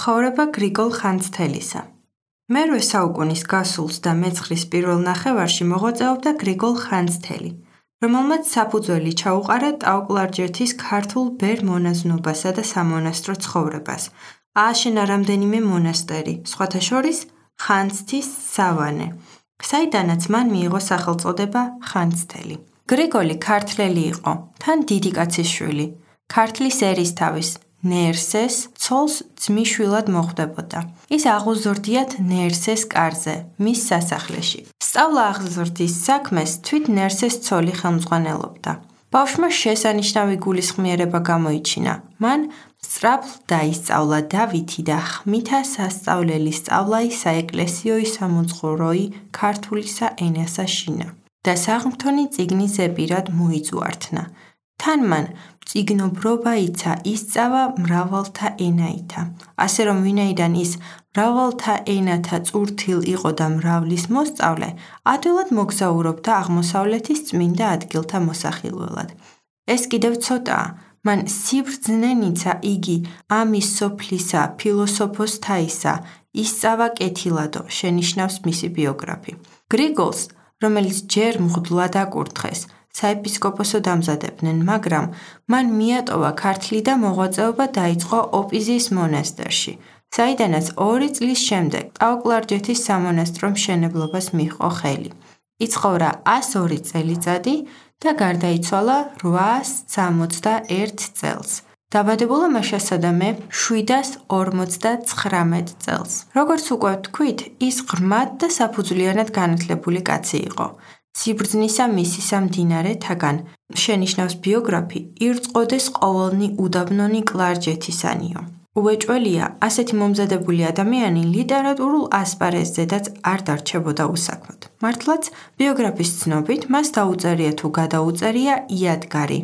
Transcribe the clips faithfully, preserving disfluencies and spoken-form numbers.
ცხოვრება გრიგოლ ხანძთელისა. მერვე საუკუნის გასულს და მეცხრის პირველ ნახევარში მოღვაწეობდა გრიგოლ ხანძთელი, რომელმაც საფუძველი ჩაუყარა ტაო-კლარჯეთის ქართულ ბერ მონაზნობასა და სამონასტრო ცხოვრებას. ააშენა რამდენიმე მონასტერი, სხვათა შორის ხანძთის სავანე, საიდანაც მან მიიღო სახელწოდება ხანძთელი. გრიგოლი ქართველი იყო, თან დიდი კაცის შვილი. ქართლის ერისთავის ნერსეს ცოლს ძმისშვილად მოხვდებოდა. ის აღუზრდიათ ნერსეს კარზე, მის სასახლეში. სწავლა აღზრდის საქმეს თვით ნერსეს ცოლი ხელმძღვანელობდა. ბავშვმა შესანიშნავი გულისხმიერება გამოიჩინა. მან სწრაფლ დაისწავლა დავითი და ხმითა სასწავლელი სწავლაი საეკლესიოი სამოძღვროი ქართულისა ენასა შინა და საღმრთონი წიგნი ზეპირად მოიწუართნა. თან მან წიგნობრობა იცა, ისწავა მრავალთა ენაითა. ასე რომ ვინაიდან ის მრავალთა ენათა წურთილ იყო და მრავლის მოსწავლე, ადვილად მოგზაურობდა აღმოსავლეთის წმინდა ადგილთა მოსახილველად. ეს კიდევ ცოტაა. მან სიბრძნენიცა იგი ამის სოფლისა ფილოსოფოსთაისა ისწავა კეთილადო, შენიშნავს მისი ბიოგრაფი. გრიგოლს, რომელიც ჯერ მღვდლად აკურთხეს, საეპისკოპოსო დამზადებდნენ, მაგრამ მან მიატოვა ქართლი და მოღვაწეობა დაიწყო ოპიზის მონასტერში, საიდანაც ორი წლის შემდეგ ტაო-კლარჯეთის სამონასტრო მშენებლობას მიჰყო ხელი. იცხოვრა ასი ორი წელიწადი და გარდაიცვალა რვაას სამოცდა ერთ წელს. დაბადებულა მაშასადამე შვიდას ორმოცდაცხრამეტ წელს. როგორც უკვე ვთქვით, ის ღრმად და საფუძვლიანად განათლებული კაცი იყო. სიბრძნისა მისისა მდინარეთაგან, შენიშნავს ბიოგრაფი, ირწყვოდეს ყოველნი უდაბნონი კლარჯეთისანიო. უეჭველია, ასეთი მომზადებული ადამიანი ლიტერატურულ ასპარეზზედაც არ დარჩებოდა უსაქმოდ. მართლაც, ბიოგრაფის ცნობით, მას დაუწერია თუ გადაუწერია იადგარი,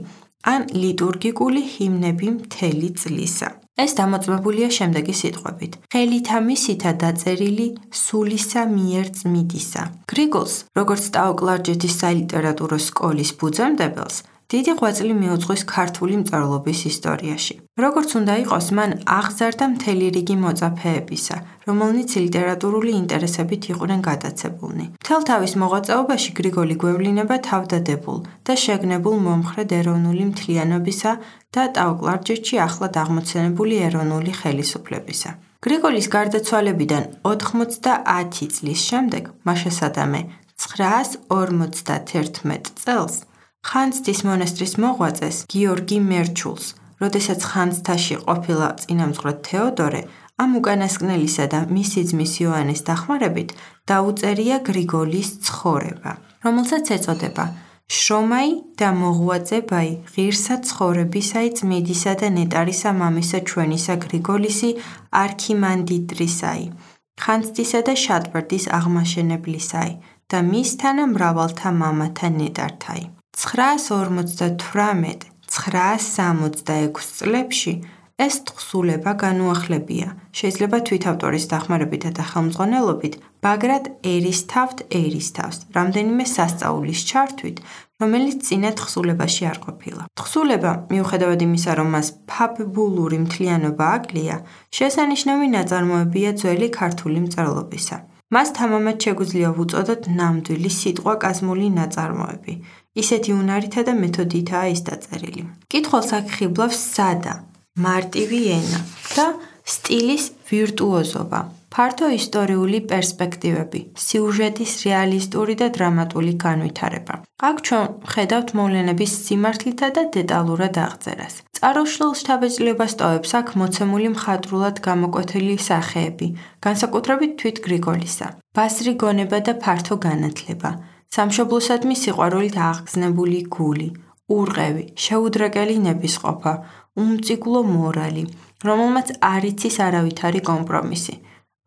ან ლიტურგიკული ჰიმნები მთელი წლისა. ეს დამოწმებულია შემდეგი სიტყვებით: ხელითა მისითა დაწერილი სულისა მიერ წმიდისა. გრიგოლს, როგორც ტაო-კლარჯეთის სალიტერატურო სკოლის ფუძემდებელს, დიდი ღვაწლი მიუძღვის ქართული მწერლობის ისტორიაში. როგორც უნდა იყოს, მან აღზარდა მთელი რიგი მოწაფეებისა, რომელნიც ლიტერატურული ინტერესებით იყვნენ გადაცებულნი. მთელ თავის მოღვაწეობაში გრიგოლი გვევლინება თავდადებულ და შეგნებულ მომხრედ ეროვნული მთლიანობისა და ტაო-კლარჯეთში ახლად აღმოცენებული ეროვნული ხელისუფლებისა. გრიგოლის გარდაცვალებიდან ოთხმოცდაათი წლის შემდეგ, მაშასადამე ცხრაას ორმოცდათერთმეტ წელს, ხანძთის მონასტრის მოღვაწეს გიორგი მერჩულს, როდესაც ხანძთაში ყოფილა წინამძღვრად თეოდორე, ამ უკანასკნელისა და მისი ძმის იოანეს დახმარებით დაუწერია გრიგოლის ცხოვრება, რომელსაც ეწოდება შრომაი და მოღვაწებაი ღირსა ცხოვრებისაი წმიდისა და ნეტარისა მამისა ჩვენისა გრიგოლისი არქიმანდრიტისაი, ხანძთისა და შატბერდის აღმაშენებლისაი და მისთანა მრავალთა მამათა ნეტართაი. ცხრაას ორმოცდათვრამეტ ცხრაას სამოცდაექვსი წლებში ეს თხზულება განუახლებია, შეიძლება თვითავტორის დახმარებითა და ხელმძღვანელობით ბაგრატ ერისთავთ ერისთავს, რამდენიმე სასწაულის ჩართვით, რომელიც წინა თხზულებაში არ ყოფილა. თხზულება, მიუხედავად იმისა, რომ მას ფაბულური მთლიანობა აკლია, შესანიშნავი ნაწარმოებია ძველი ქართული მწერლობისა. მას თამამად შეგვიძლია ვუწოდოთ ნამდვილი სიტყვაკაზმული ნაწარმოები. ისეთი უნარითა და მეთოდითაა ის დაწერილი. მკითხველს აქ ხიბლავს სადა, მარტივი ენა და სტილის ვირტუოზობა, ფართო ისტორიული პერსპექტივები, სიუჟეტის რეალისტური და დრამატული განვითარება. აქ ჩვენ ხედავთ მოვლენების სიმართლითა და დეტალურად აღწერას. წარუშლილ შთაბეჭდილებას ტოვებს აქ მოცემული მხატვრულად გამოკვეთილი სახეები, განსაკუთრებით თვით გრიგოლისა, ბასრი გონება და ფართო განათლება, სამშობლოსადმი სიყვარულით აღგზნებული გული, ურყევი, შეუდრეკელი ნებისყოფა, უმწიგლო მორალი, რომელმაც არ იცის არავითარი კომპრომისი.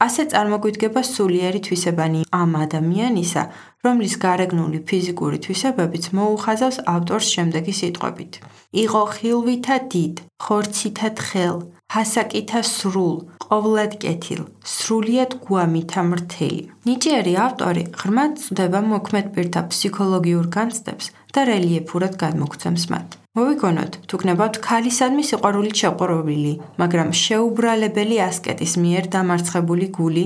ასე წარმოგვიდგება სულიერი თვისებანი ამ ადამიანისა, რომლის გარეგნული ფიზიკური თვისებებიც მოუხაზავს ავტორს შემდეგი სიტყვებით: იყო ხილვითა დიდ, ხორცითა თხელ, ჰასაკითა სრულ, ყოვლად კეთილ, სრულიად გვამითა მრთელი. ნიჭიერი ავტორი ღრმად წვდება მოქმედ პირთა ფსიქოლოგიურ განცდებს და რელიეფურად გადმოგვცემს მათ. მოვიგონოთ, თუ გნებავთ ქალისადმი სიყვარულით შეყვარებული, მაგრამ შეუბრალებელი ასკეტის მიერ დამარცხებული გული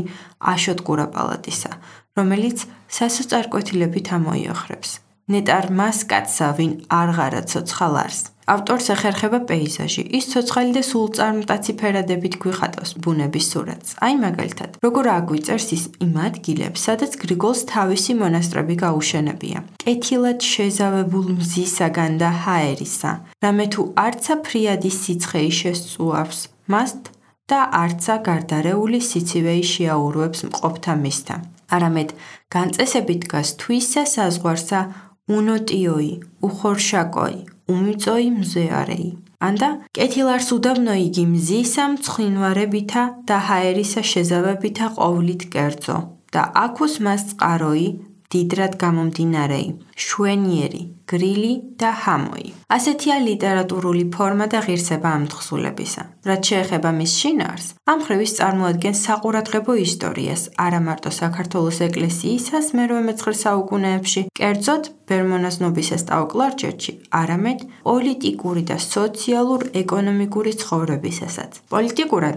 აშოტ კურაპალატისა, რომელიც სასოწარკვეთილებით ამოიოხრებს. ნეტარ მას კაცსა, ვინ არღარა ცოცხალ არს. ავტორს ეხერხება პეიზაჟი, ის ცოცხალი და სულწარმტაცი ფერადებით გვიხატავს ბუნების სურათს. აი მაგალითად, როგორ აგვიწერს ის იმ ადგილებს, სადაც გრიგოლს თავისი მონასტრები გაუშენებია. კეთილად შეზავებულ მზისაგან და ჰაერისა, რამე თუ არცა ფრიადი სიცხეი შესწუავს მას და არცა გარდარეული სიცივეი შეაურვებს მყოფთა მისთა. არამედ განწესებით დგას თვისა საზღვარსა უნოტიოი, უხორშაკოი, უმიწოი მზეარეი. ანდა კეთილარს უდაბნო იგი მზისა მცხინვარებითა და ჰაერისა შეზავებითა ყოვლით კერძო და აქუს მას წყაროი, დიდრად გამომდინარეი, შვენიერი, გრილი და ჰამოი. ასეთია ლიტერატურული ფორმა და ღირსება ამ თხზულებისა. რაც შეეხება მის შინაარს, ამ მხრივ ის წარმოადგენს საყურადღებო ისტორიას არა მარტო საქართველოს ეკლესიისას მერვე-მეცხრე საუკუნეებში, კერძოდ ბერმონაზნობის სტაოკლარჯეთში, არამედ პოლიტიკური და სოციალურ-ეკონომიკური ცხოვრებისასაც. პოლიტიკურად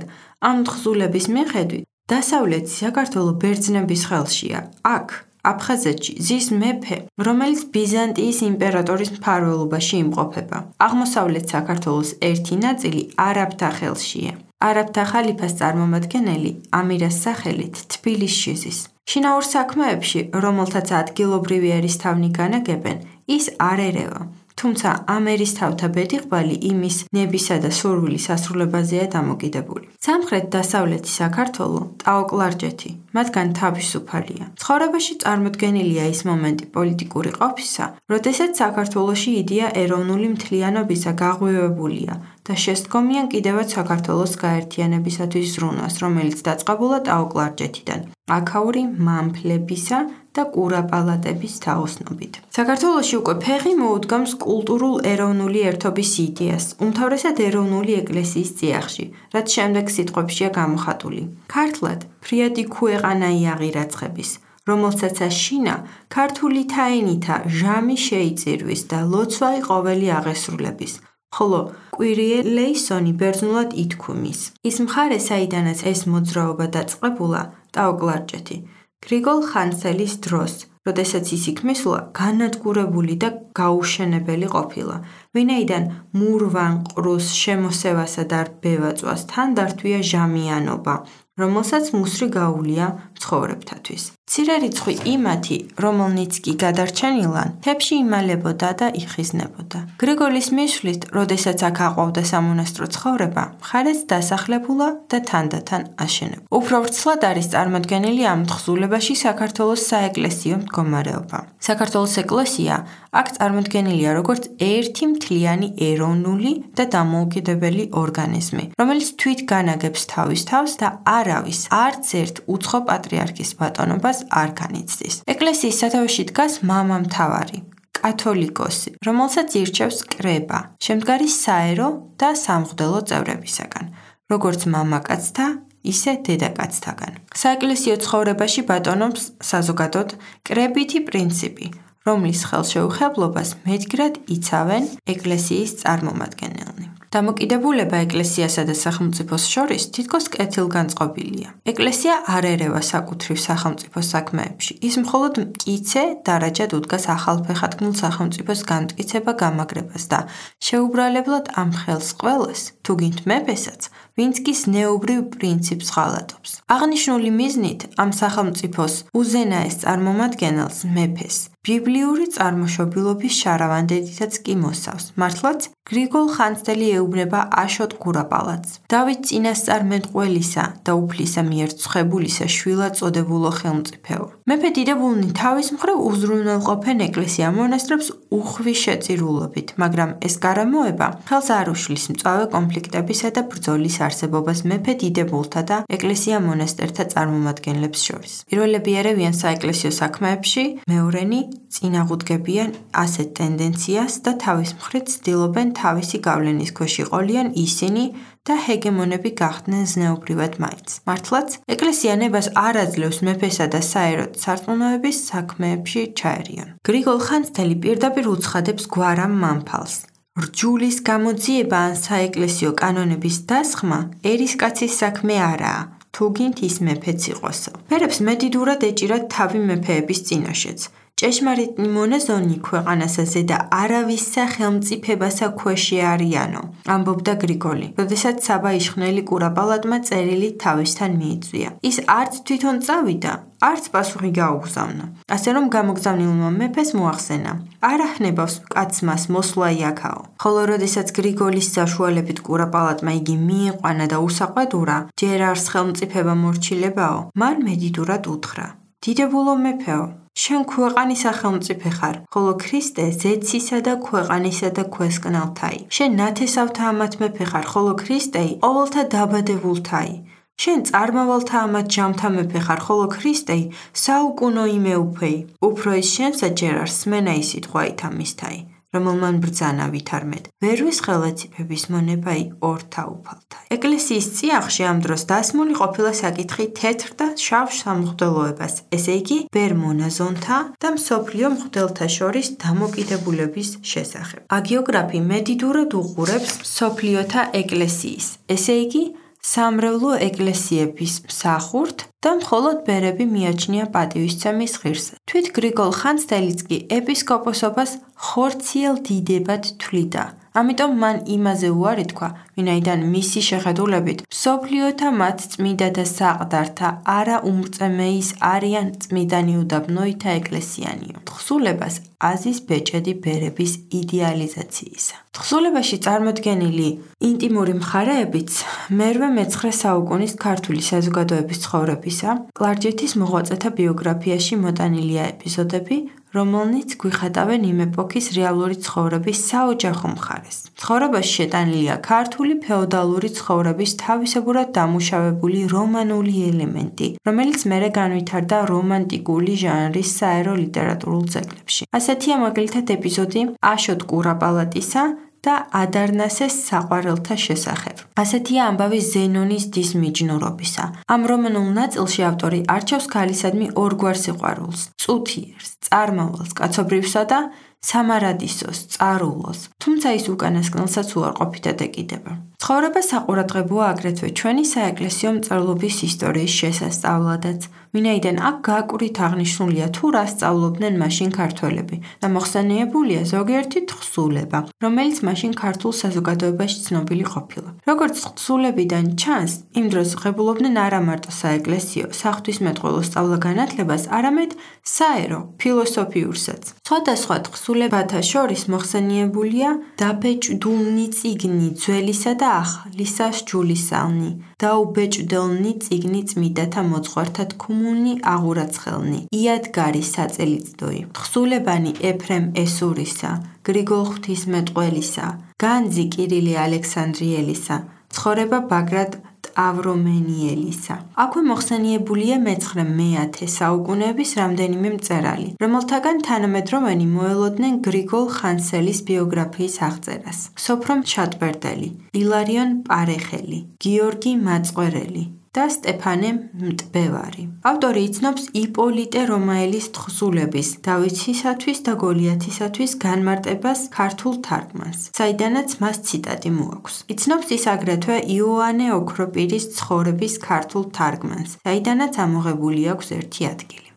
ამ თხზულების მიხედვით დასავლეთი საქართველო ბერძნების ხელშია. აქ აფხაზეთში ზის მეფე, რომელიც ბიზანტიის იმპერატორის მფარველობაში იმყოფება. აღმოსავლეთ საქართველოს ერთი ნაწილი არაბთა ხელშია. არაბთა ხალიფას წარმომადგენელი ამირას სახელით თბილისში ზის. შინაურ საქმეებში, რომელთაც ადგილობრივი ერისთავნი განაგებენ, ის არ ერევა. თუმცა ამ ერისთავთა ბედიღბალი იმის ნებისა და სურვილის ასრულებაზეა დამოკიდებული. სამხრეთ-დასავლეთი საქართველო, ტაოკლარჯეთი, მათგან თავისუფალია. ცხოვრებაში წარმოდგენილია ის მომენტი პოლიტიკური ყოფისა, როდესაც საქართველოში იდეა ეროვნული მთლიანობისა გაღვივებულია და შესდგომიან კიდევაც საქართველოს გაერთიანებისათვის ზრუნვას, რომელიც დაწყებულა ტაოკლარჯეთიდან, აქაური მამფლებისა და კურაპალატების თაოსნობით. საქართველოში უკვე ფეხი მოუდგამს კულტურულ ეროვნული ერთობის იდეას, უმთავრესად ეროვნული ეკლესიის წიაღში, რაც შემდეგ სიტყვებშია გამოხატული. ქართლად ფრიადი ქუეყანაი აღირაცხების, რომელსაც შინა ქართული თაინითა ჟამი შეიწირვის და ლოცვაი ყოველი აღესრულების. ხოლო კვირიელეისონი ბერძნულად ითქვამის. ის მხარე, საიდანაც ეს მოძრაობა დაწყებულა, ტაოკლარჯეთი, გრიგოლ ხანძთელის დროს, როდესაც ის იქ მისვლა, განადგურებული და გაუშენებელი ყოფილა, ვინაიდან მურვან ყრუს შემოსევასა და ბევაწვას თან დართვია ჟამიანობა, რომელსაც მუსრი გაუვლია მცხოვრებთათვის. მცირე რიცხვი იმათი, რომელნიც კი გადარჩენილან, მთებში იმალებოდა და იხიზნებოდა. გრიგოლის მისვლით, როდესაც აქ აყვავდა სამონასტრო ცხოვრება, მხარეც დასახლებულა და თანდათან აშენებულა. უფრო ვრცლად არის წარმოდგენილი ამ თხზულებაში საქართველოს საეკლესიო მდგომარეობა. საქართველოს ეკლესია აქ წარმოდგენილია როგორც ერთი მთლიანი ეროვნული და დამოუკიდებელი ორგანიზმი, რომელიც თვით განაგებს თავის თავს და არავის არც ერთ უცხო პატრიარქის ბატონობას არ განიცდის. ეკლესიის სათავეში დგას მამამთავარი, კათოლიკოსი, რომელსაც ირჩევს კრება, შემდგარი საერო და სამღვდელო წევრებისაგან, როგორც მამაკაცთა, ისე დედაკაცთაგან. საეკლესიო ცხოვრებაში ბატონობს საზოგადოდ კრებითი პრინციპი, რომლის ხელშეუხებლობას მედგრად იცავენ ეკლესიის წარმომადგენელნი. დამოკიდებულება ეკლესიასა და სახელმწიფოს შორის თითქოს კეთილგანწყობილია. ეკლესია არ ერევა საკუთრივ სახელმწიფოს საქმეებში. ის მხოლოდ მკიცე დარაჯად უდგას ახალფეხადგმულ სახელმწიფოს განმტკიცება-გამაგრებას და შეუბრალებლად ამ ხელს ყველას, თუ გინდ მეფესაც, ვინც კი ზნეობრივ პრინციპს ღალატობს. აღნიშნული მიზნით ამ სახელმწიფოს უზენაეს წარმომადგენელს მეფეს ბიბლიური წარმოშობილობის შარავანდედითაც კი მოსავს. მართლაც გრიგოლ ხანძთელი ეუბნება აშოტ კურაპალატს, დავით წინასწარმეტყველისა და უფლისა მიერ ცხებულისა შვილად წოდებულო ხელმწიფეო. მეფე დიდებულნი თავის მხრივ უზრუნველყოფენ ეკლესია-მონასტრებს უხვი შეწირულობით, მაგრამ ეს გარემოება ხელს არ უშლის მწვავე კონფლიქტებისა და ბრძოლის არსებობას მეფე დიდებულთა და ეკლესია-მონასტერთა წარმომადგენლებს შორის. პირველები ერევიან საეკლესიო საქმეებში, მეორენი წინაღუდგებიან ასეთ ტენდენციას და თავის მხრივ ცდილობენ თავისი გავლენის ქვეშ იყოლიან ისინი და ჰეგემონები გახდნენ ზნეობრივად მაინც. მართლაც, ეკლესია ნებას არ აძლევს მეფესა და საეროდ სარწმუნოების საქმეებში ჩაერიონ. გრიგოლ ხანძთელი პირდაპირ უცხადებს გვარამ მამფალს, რჯულის გამოძიება ან საეკლესიო კანონების დასხმა ერისკაცის საქმე არაა, თუ გინდ ის მეფეც იყოსო. ფერებს მედიდურად ეჭირათ თავი მეფეების წინაშეც. ჭეშმარიტი მონაზონი ქვეყანასა ზედა არავისა ხელმწიფებასა ქვეშ არიანო, ამბობდა გრიგოლი, როდესაც საბა იშხნელი კურაპალატმა წერილი თავისთან მიიწვია. ის არც თვითონ წავიდა, არც პასუხი გაუგზავნა. ასე რომ გამოგზავნილმა მეფეს მოახსენა, არ აჰნებავს კაცს მას მოსვლა იქაო. ხოლო როდესაც გრიგოლის საშუალებით კურაპალატმა იგი მიიყვანა და უსაყვედურა, ჯერ არს ხელმწიფება მორჩილებაო, მან მედიდურად უთხრა: დიდებულო მეფეო, შენ ქვეყანისა ხელმწიფე ხარ, ხოლო ქრისტე ზეცისა და ქვეყანისა და ქვესკნელთაი. შენ ნათესავთა ამათ მეფე ხარ, ხოლო ქრისტე ყოველთა დაბადებულთაი. შენ წარმავალთა ამათ ჯამთა მეფე ხარ, ხოლო ქრისტე საუკუნო იმეუფეი. უფრო ის შენსა ჯერ არ სმენა ის სიტყვა ითამისთაი, რომელმან ბრძანა ვითარმედ. ვერვის ხელეციფების მონებაი ორთა უფალთაი. ეკლესიის წიაღში ამ დროს დასმული ყოფილა საკითხი თეთრ და შავ სამღვდელოებას, ესე იგი ბერ მონაზონთა და მსოფლიო მღვდელთა შორის დამოკიდებულების შესახებ. ჰაგიოგრაფი მედიდურად უყურებს მსოფლიოთა ეკლესიის, ესე იგი სამრევლო ეკლესიების მსახურთ და მხოლოდ ბერები მიაჩნია პატივისცემის ღირსად. თვით გრიგოლ ხანძთელიც კი ეპისკოპოსობას ხორციელ დიდებად თვლიდა. ამიტომ მან იმაზე უარი თქვა, ვინაიდან მისი შეხედულებით მსოფლიოთა მათ წმიდა და საყდართა არა უმრწემეის არიან წმიდანი უდაბნოითა ეკლესიანიო. თხზულებას აზის ბეჭედი ბერების იდეალიზაციისა. თხზულებაში წარმოდგენილი ინტიმური მხარეებიც მერვე მეცხრე საუკუნის ქართული საზოგადოების ცხოვრებისა, კლარჯეთის მოღვაწეთა ბიოგრაფიაში მოტანილია ეპიზოდები, რომელნიც გვიხატავენ იმ ეპოქის რეალური ცხოვრების საოჯახო მხარეს. ცხოვრებაში შეტანილია ქართული ფეოდალური ცხოვრების თავისებურად დამუშავებული რომანული ელემენტი, რომელიც მერე განვითარდა რომანტიკული ჟანრის საერო ლიტერატურულ ძეგლებში. ასეთია მაგალითად ეპიზოდი აშოტ კურაპალატისა და ადარნასეს საყვარელთა შესახებ. ასეთია ამბავი ზენონის დის მიჯნურობისა. ამ რომანულ ნაწილში ავტორი არჩევს ქალისადმი ორგვარ სიყვარულს: წუთიერს, წარმავალს, კაცობრიუსა და სამარადისოს, წარულოს, თუმცა ის უკანასკნელსაც უარყოფითად ეკიდება. ცხოვრება საყურადღებოა აგრეთვე ჩვენი საეკლესიო მწერლობის ისტორიის შესასწავლადაც, ვინაიდან აქ გააკვრით აღნიშნულია თუ რა სწავლობდნენ მაშინ ქართველები და მოხსენიებულია ზოგიერთი თხზულება, რომელიც მაშინ ქართულ საზოგადოებაში ცნობილი ყოფილა. როგორც თხზულებიდან ჩანს, იმ დროს ღებულობდნენ არა მარტო საეკლესიო, საღვთისმეტყველო სწავლა-განათლებას, არამედ საერო, ფილოსოფიურსაც. სხვადასხვა თხზულებათა შორის მოხსენიებულია დაბეჭდულნი წიგნი ძველისა და ახალისა სჯულისალნი, დაუბეჭდელნი წიგნი წმიდათა მოძღვართა თქმულნი აღურაცხელნი, იადგარი საწელიწდოი, თხზულებანი ეფრემ ესურისა, გრიგოლ ღვთისმეტყველისა, განძი კირილე ალექსანდრიელისა, ცხოვრება ბაგრატ ტავრომენიელისა. აქვე მოხსენიებულია მეცხრე მეათე საუკუნეების რამდენიმე მწერალი, რომელთაგან თანამედროვენი მოელოდნენ გრიგოლ ხანძთელის ბიოგრაფიის აღწერას: სოფრომ ჩატბერდელი, ილარიონ პარეხელი, გიორგი მაწყვერელი და სტეფანე მტბევარი. ავტორი იცნობს იპოლიტე რომაელის თხზულების დავითისათვის და გოლიათისათვის განმარტებას ქართულ თარგმანს, საიდანაც მას ციტატი მოაქვს. იცნობს ის აგრეთვე იოანე ოქროპირის ცხოვრების ქართულ თარგმანს, საიდანაც ამოღებული აქვს ერთი ადგილი.